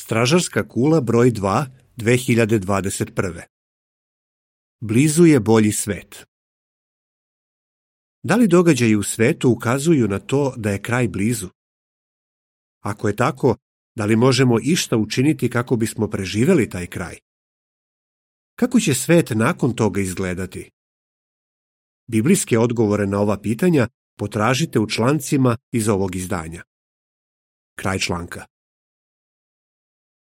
Stražarska kula broj 2, 2021. Blizu je bolji svet. Da li događaji u svetu ukazuju na to da je kraj blizu? Ako je tako, da li možemo išta učiniti kako bismo preživjeli taj kraj? Kako će svet nakon toga izgledati? Biblijske odgovore na ova pitanja potražite u člancima iz ovog izdanja. Kraj članka.